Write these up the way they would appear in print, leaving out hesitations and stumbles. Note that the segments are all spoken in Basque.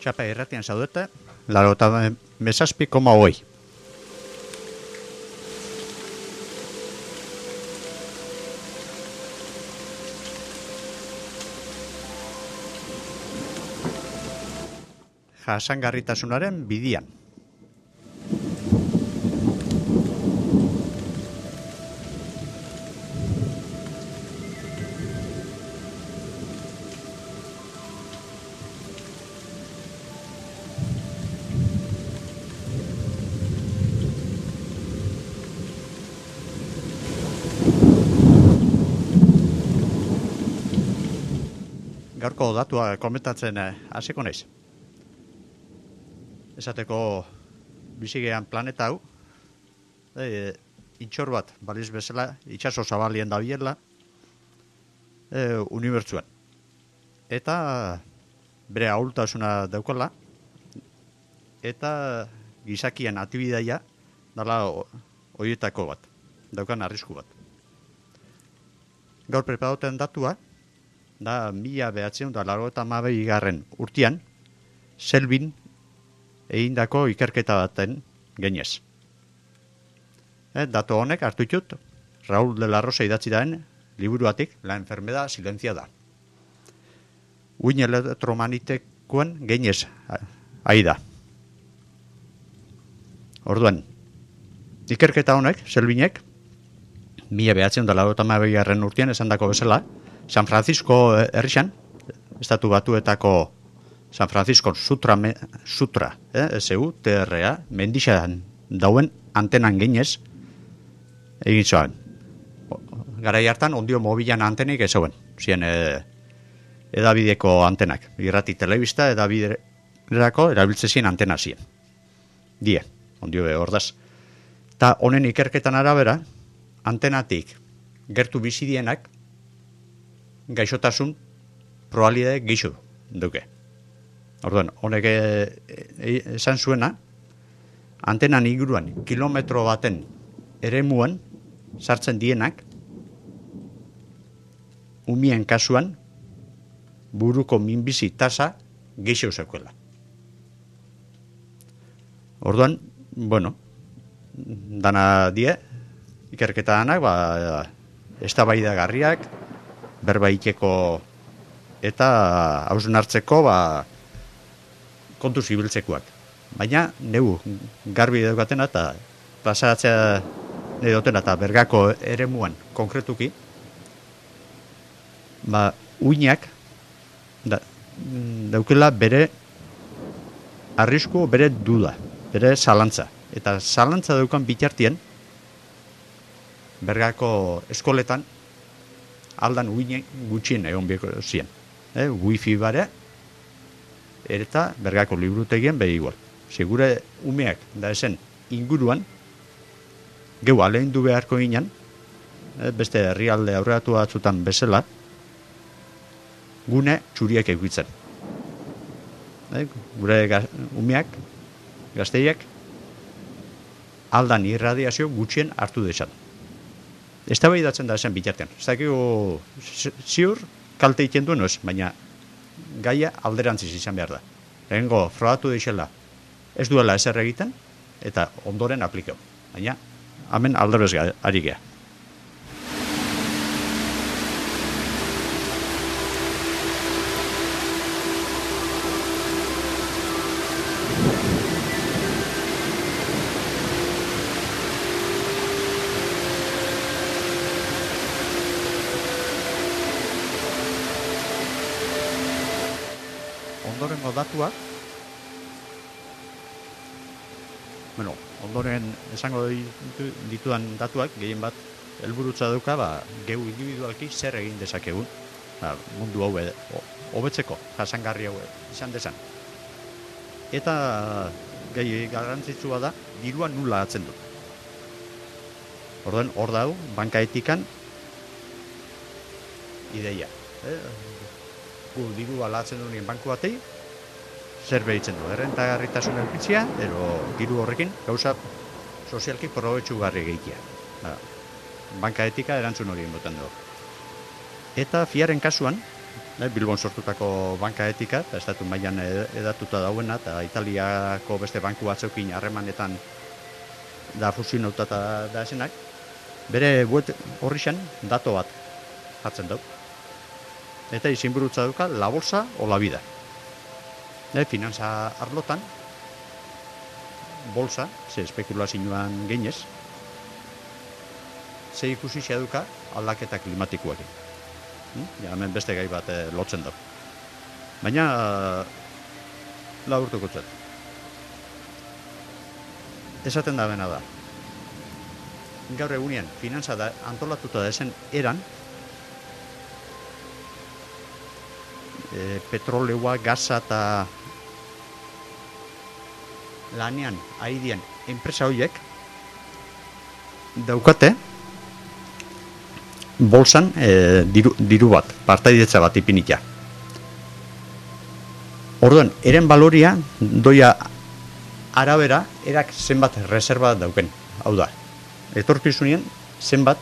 Txapa irratian zaudete, 87,8. Jasangarritasunaren bidian. Gaurko datua komentatzen hasiko naiz. Esateko bizigean planeta hau, itxor bat baliz bezala, itxaso zabalien dabilela, unibertsuan. Eta bere ahultasuna daukala, eta gizakien atibidaia dala horietako bat, daukan arrisku bat. Gaur preparauten datua, da 1982 urtean, Selbin egindako ikerketa baten genez. Datu honek hartu ditut, Raúl de la Rosa idatzi daen liburuatik, La enfermedad silenciada. Uin elektromagnetikoen genez ari da. Orduan, ikerketa honek, Selbinek, 1982 urtean esandako bezala, San Francisco herrixan, estatu batuetako San Francisco Sutra, SUTRA, mendixan dauen antenan ginez, egin zoan. Garai hartan, ondio mobilan antenik ez zauen, ziren edabideko antenak, irrati telebista, edabiderako erabiltzezien antena ziren. Die, ondio ordaz. Ta honen ikerketan arabera, antenatik gertu bizidienak, gaixotasun probabilitate gixo duke. Orduan, honek esan zuena, antenan inguruan kilometro baten eremuan sartzen dienak, umien kasuan, buruko minbizi tasa gixo zeukuela. Orduan, bueno, dana die, ikerketa danak, eztabaidagarriak, berbaiteko eta hausnartzeko kontu zibiltzekoak. Baina, neu garbi daukatena eta pasaratzea dutena eta bergako eremuan konkretuki, uinak daukela bere arrisku, bere duda, bere zalantza. Eta zalantza daukan bitartien, bergako eskoletan, aldan uinek gutxien egon bieko ziren. Wifi bare, eta bergako liburutegien behi igual. Segure umeak da esen inguruan, geu aleindu beharko ginen, beste herrialde aurreatu batzutan bezala, gune txuriek egitzen. Gure umeak, gazteiak, aldan irradiazio gutxien hartu dezan. Eztabaidatzen da esen bitartean. Ez dakigu ziur kalte egiten duen oez, baina gaia alderantziz izan behar da. Lehengo frogatu deixela ez duela ezer egiten, eta ondoren aplikau. Baina, hemen alderbez ari gea. Ondorengo datuak, ondoren esango ditudan datuak, gehien bat helburutza dauka, geu individualki zer egin dezakegun, mundu hau hobetzeko, jasangarri hau izan dezan. Eta gehi garrantzitsua da, dirua nula atzen dut. Orduan, hor dau, banka etikan ideia. Gu dirua latzen duen banku batei, zer behitzen du, errentagarritasun elpitzia, ero diru horrekin gauza sozialki probetxugarri gehiagia. Banka etika erantzun hori inbotan dugu. Eta fiaren kasuan, Bilbon sortutako banka etika, eta estatu mailan edatuta dauena, eta Italiako beste banku batzeukin harremanetan da fusionauta da esenak, bere web horri xan dato bat jartzen dau. Eta izenburutza duka la bolsa o la vida. Finantza arlotan, bolsa, ze espekulazioan geinez, ze ikusi duka aldaketa klimatikoakin. Hemen beste gai bat lotzen da. Baina, laburtuko zet. Esaten da bena da. Gaur egunean, finantza da antolatuta da esen eran, petroleoa, gaza eta lanean, aidian, enpresa horiek daukate bolsan diru bat, partaidetza bat ipinitia. Orduan, eren baloria doia arabera erak zenbat reserva dauken. Hau da, etorkizunien zenbat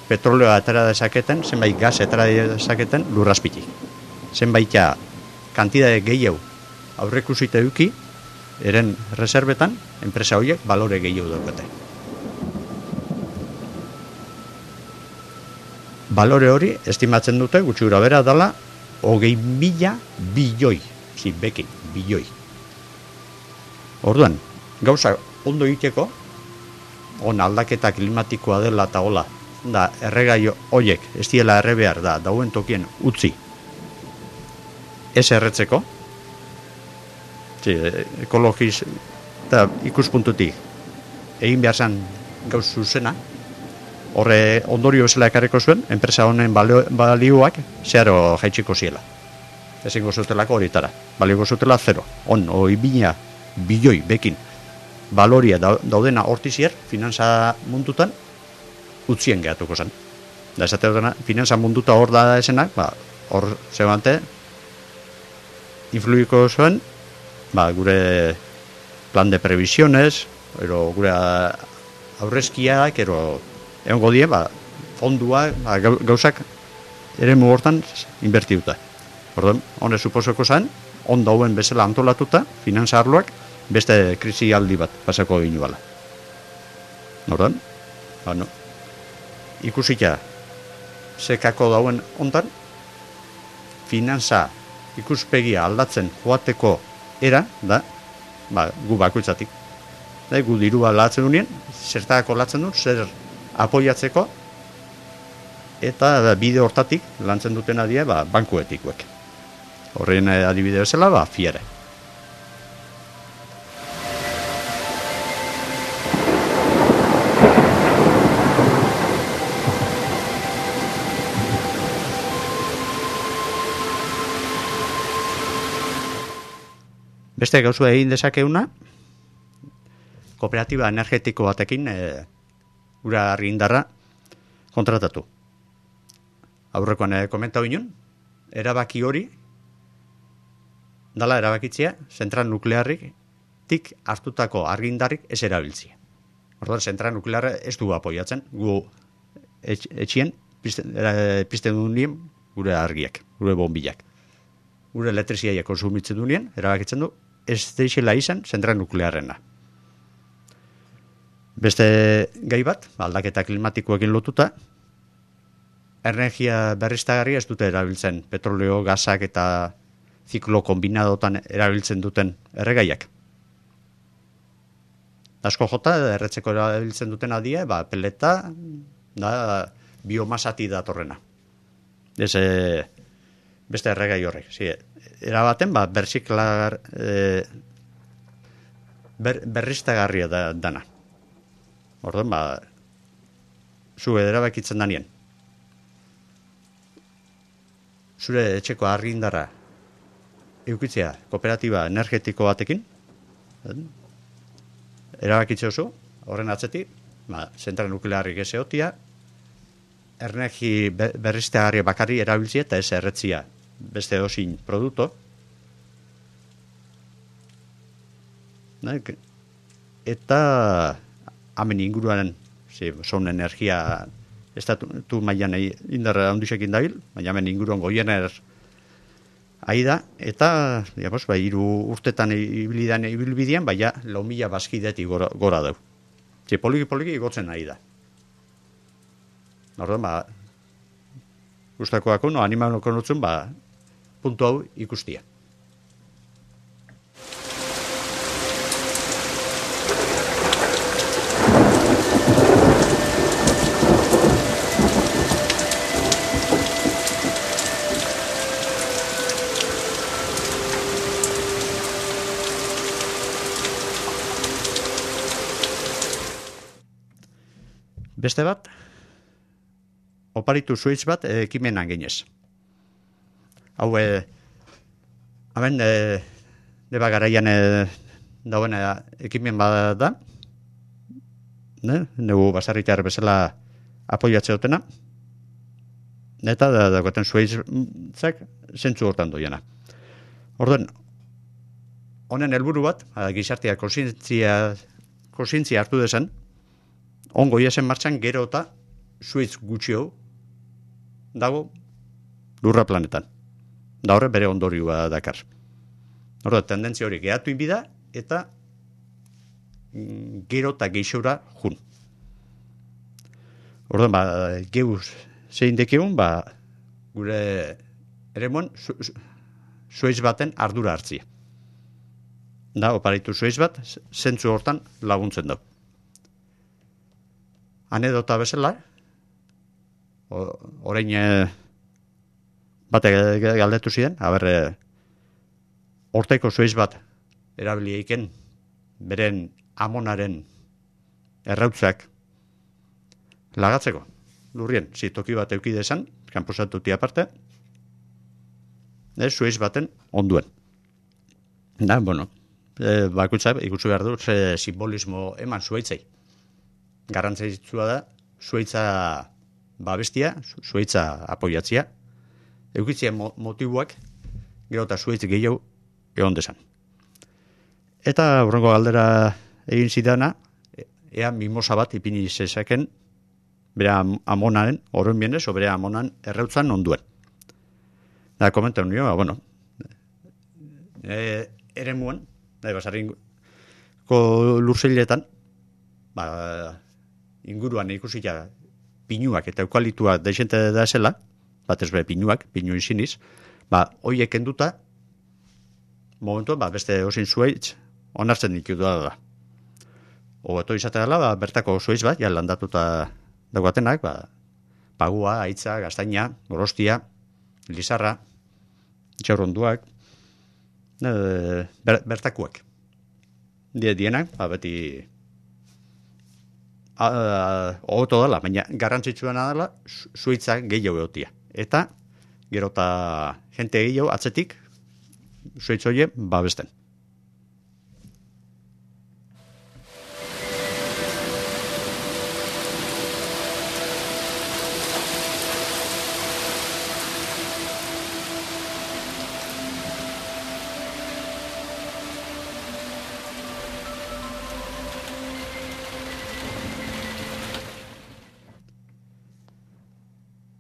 petroleoa atera dezaketen, zenbait gas atera dezaketen lurrazpitik. Zenbaita kantidade gehiago aurreikusita eduki, eren reservetan, enpresa horiek balore gehiago daukate. Balore hori, estimatzen dute, gutxi gura bera dela, 20.000 bilioi, bilioi. Orduan, gauza ondo egiteko, on aldaketa klimatikoa dela eta hola, da erregai horiek, ez diela erre behar da, dauen tokien utzi, ez erretzeko, ekologiz eta ikuspuntutik egin behar zen gauz zuzena, horre ondorio bezala ekarriko zuen, enpresa honen balioak zeharo jaitsiko ziela. Ezingo zutelako horitara. Balioko zutela 0. 20.000 bilioi bekin baloria daudena hortizier, finantza mundutan utzien gehatuko zen. Da esate dena, finantza munduta hor da esenak, hor zebante influiko zuen, gure plan de previsiones, ero gure aurrezkiak, ero egongo die, fondua, gauzak ere hortan inbertiuta. Orduan, hone suposoko zen, on dauen bezala antolatuta, finantza arloak, beste krisi aldi bat pasako ginu bala. Orduan, ikusita, sekako dauen ontan, finantza ikuspegia aldatzen joateko era, da, gu bakoitzatik. Gu dirua latzen dunien, zertako latzen duen, zer apoiatzeko, eta bide hortatik lantzen duten adie bankuetikuek. Horren adibide bezala, fiere. Beste gauzu egin dezakeuna, kooperatiba energetiko batekin ura argindarra kontratatu. Aurrekoan komentau inun, erabaki hori, dala erabakitzea, zentral nuklearrik tik hartutako argindarrik ez erabiltzia. Orduan, zentral nuklearra ez du apoiatzen, gu etxien pizten duen gure argiak, gure bombilak. Gure elektriziaia konsumitzen duen, erabakitzen du, ez deixela izan zentral nuklearrena. Beste gai bat, aldaketa klimatikoekin lotuta, energia berriztagarria ez dute erabiltzen petroleo, gasak eta ziklo kombinadotan erabiltzen duten erregaiak. Asko jota, erretzeko erabiltzen duten adie, peleta, da, biomasati datorrena. Ez, beste erregai horrek. Erabaten, berriztagarria dana. Orduan, zu erabakitzen danien. Zure etxeko argindarra eukitzea kooperatiba energetiko batekin, erabakitzea oso, horren atzetik, zentral nuklearrik ez egotia, energi berriztagarria bakarri erabiltzea eta ez erretzia beste osin produkto. Eta hamen inguruan son energia estatu mailan indarra handusekin dabil, baina hemen inguruan goiener Aida, eta, digamos, 3 urtetan ibilbidean, baina 4.000 bazkidetik gora dau. Poliki igotzen Aida. Orduan, gustakoako, animaloko nutzen, puntu hau ikustia. Beste bat, oparitu zuitz bat ekimenan ginez. Hau, hemen, deba garaian dauen ekimen bat da, negu basarritear bezala apoiatze dutena, eta dagoetan zuitzak zentzu hortan doiena. Orduan, honen helburu bat, gizartea kontzientzia hartu dezen, ongo iasen martxan gero eta zuitz gutxio dago lurra planetan. Da horre bere ondorioa dakar. Horda, tendentzia hori gehatu inbida eta gero eta geixora jun. Horda, geuz zein dekegun, gure eremuan zuitz baten ardura hartzia. Da, oparitu zuitz bat, zentzu hortan laguntzen dau. Anedota bezala, orain batek galdetu ziren, horteko zuiz bat erabili eiken, beren amonaren errautzak lagatzeko. Lurrien, toki bat eukide esan, kanposatuti aparte, zuiz baten onduen. Da, bakutza, ikusi behar du, simbolismo eman zuaitzei. Garrantzitsua da, zuaitza babestia, zuaitza apoiatzia, eukitzia motibuak, gero eta zuaitz gehiago egon desan. Eta hurrengo galdera egin zidana, ea mimosa bat ipini zezaken, bere amonaren, horren bienez, o bere amonan errautzan onduen. Da, komentan nio, ere muen, basarrinko lurzeiletan, inguruan ikusita pinuak eta eukalituak deixente da esela, batez be pinuak, pinu iziniz, hoiek enduta, momentu, beste osin zuaitz, onartzen ditu da. Obeto izate dela, bertako zuaitz bat, landatuta dagoatenak, pagua, aitza, gaztaina, gorostia, lizarra, txaurronduak, bertakuak. Dienak, beti ogoto dela, baina garrantzitsuena dela zuitza gehiago egotia. Eta, gero eta jente gehiago atzetik zuitz hoie babesten.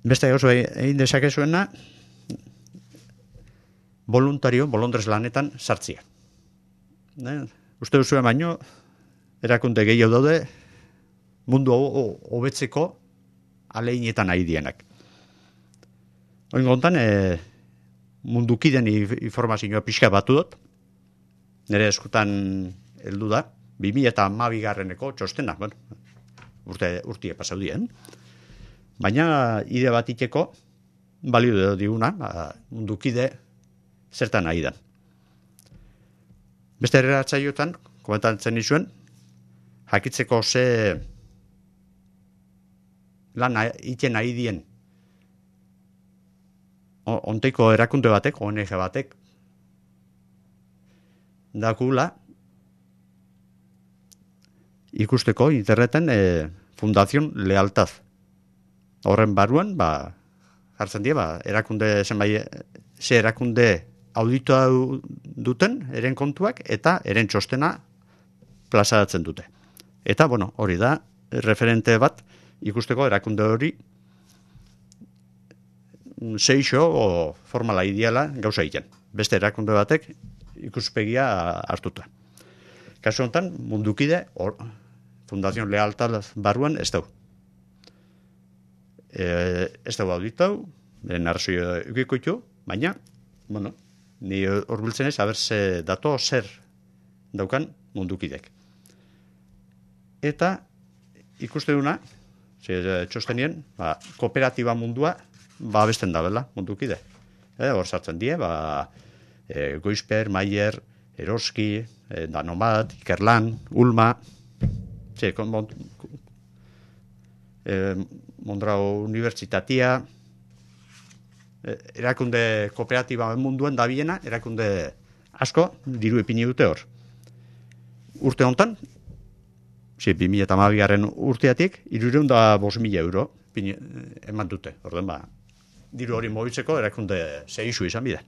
Beste oso egin dezakezuena, bolondrez lanetan sartzia. Uste duzuen baino, erakunde gehiago daude, mundu hobetzeko aleinetan ari dienak. Oin gontan, mundukiden informazioa pixka batu dut, nire eskutan heldu da, 2012 txostena, urtie pasau dien, baina ide bat iteko, balio diguna, mundukide zertan nahi da. Beste erratzaiotan, komentatzen nizuen, jakitzeko ze lan iten nahi dien onteiko erakunde batek, ONG batek, dakula ikusteko interneten Fundación Lealtad. Horren baruan, jartzen dira, erakunde ze erakunde auditua duten, eren kontuak, eta eren txostena plazaratzen dute. Eta, hori da, referente bat, ikusteko erakunde hori seixo o formala ideala gauza egiten. Beste erakunde batek ikuspegia hartuta. Kasu honetan, mundukide, Fundación Lealtad barruan ez dau. Ez dau auditau, narrazio eukiko baina, bueno, ni horbiltzen ez, haber ze dato zer daukan mundukidek. Eta ikuste duna, txostenien, kooperatiba mundua babesten da bela mundukide. Hor sartzen die, Goizper, Maier, Eroski, Danomat, Ikerlan, Ulma, Mondrau Unibertsitatea, erakunde kooperatiba munduan dabiena, erakunde asko diru ipini dute hor. Urte hontan, 2012 urteatik, 305.000 euro eman dute. Orden diru hori mobitzeko erakunde zehizu izan bide.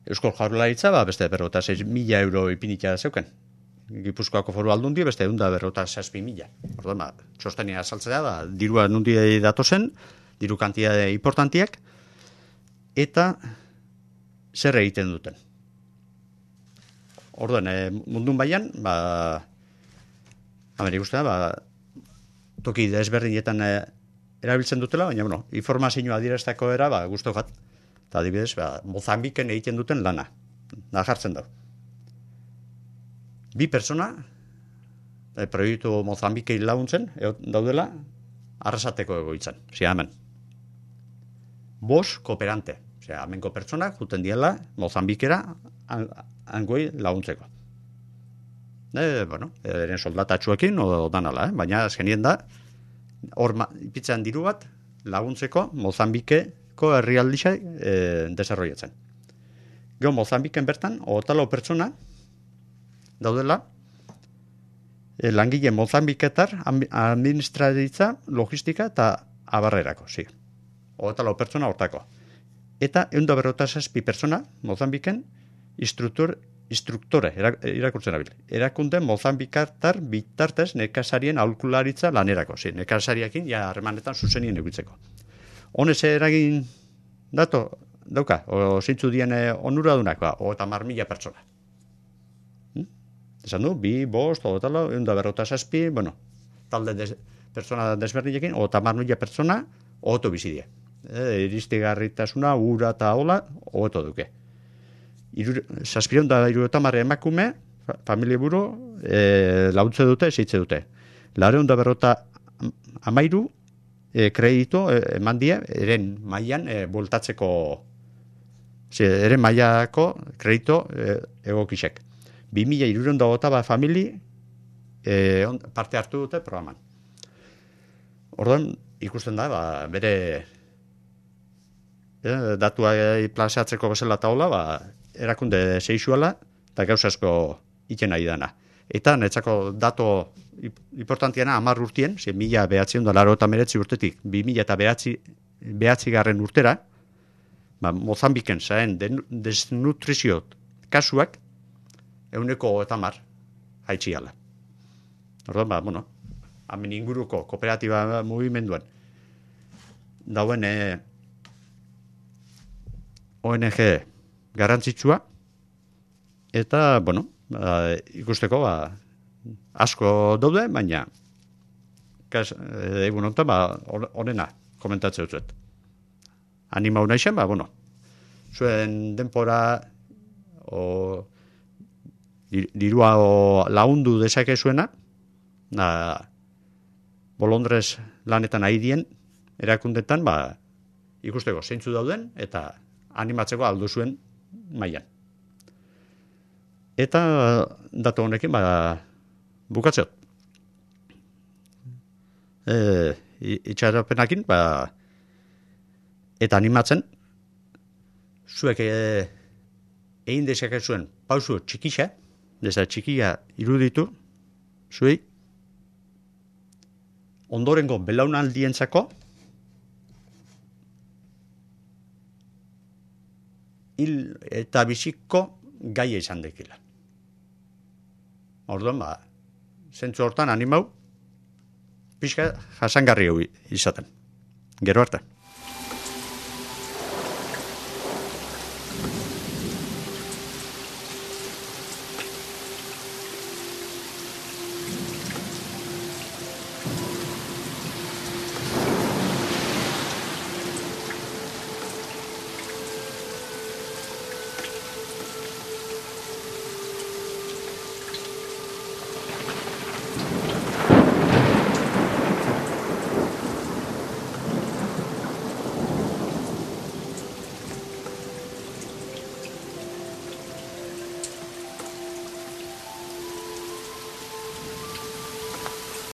Euskal Jaurlaritza, beste 56.000 euro ipinitia zeuken. Gipuzkoako Foru Aldundi, beste 156.000. Orden txostenia saltzea dirua nundi datozen, diru kantitate importantiak, eta zer egiten duten. Orduan, mundun baian, hemen ikusten toki desberdinetan erabiltzen dutela, baina, informazioa adierazteko era, guztu bat. Eta adibidez, Mozambiken egiten duten lana. Da jartzen dau. 2 persona, proiektu Mozambikei laguntzen, daudela, arrasateko egoitzan. Hemen. 5 kooperante. Hemenko pertsonak, juten diela, Mozambikera, angoi laguntzeko. Eren soldatatxuekin, danala, baina azkenien da, hor ipitzen diru bat, laguntzeko Mozambikeko herrialdisa desarrollatzen. Gero Mozambiken bertan, 24 pertsona, daudela, langile Mozambiketar, administraritza, logistika eta abarrerako, 24 pertsona hortako. Eta 157 pertsona, Mozambiken, instruktore, irakurtzen abil. Erakunde Mozambikatar bitartez nekazarien aholkularitza lanerako. Nekazariakin, harremanetan zuzenien egitzeko. Honez eragin dauka, o zintzu dien onuradunak, 30.000 pertsona. Esan du, 2, 5, 157, talde pertsona desberdinekin, 30.000 pertsona, oto bizidie. Iristigarritasuna, ura eta hola, oto duke. 750 emakume, familia buru, launtze dute, zeitze dute. 953 kredito eman die, eren mailan bueltatzeko, eren mailako kredito egokisek. 2.320 famili parte hartu dute programan. Orduan, ikusten da, bere datua plazatzeko bezala taula, erakunde seixuala eta gauz asko iten nahi dana. Eta netzako dato importantiana 10 urtien, 1989 urtetik 2009 urtera, Mozambiken zaen desnutrizio kasuak 110 haitxiala. Orduan, hemen inguruko kooperatiba mugimenduan dauen ONG garrantzitsua eta, ikusteko asko daude, baina egun honetan honena komentatzen dut. Animau naixen, zuen denpora dirua lagundu dezake zuena, bolondrez lanetan aidien erakundetan, ikusteko zeintzu dauden, eta animatzeko aldu zuen mailan. Eta datu honekin, bukatzeot. Itxarapenakin, eta animatzen, zuek egin dezake zuen pausu txikixa, deza txikia iruditu, zuei, ondorengo belaunaldientzako hil eta biziko gaia izan dekila. Orduan, zentzu hortan animau, pixka jasangarri izaten. Gero arte.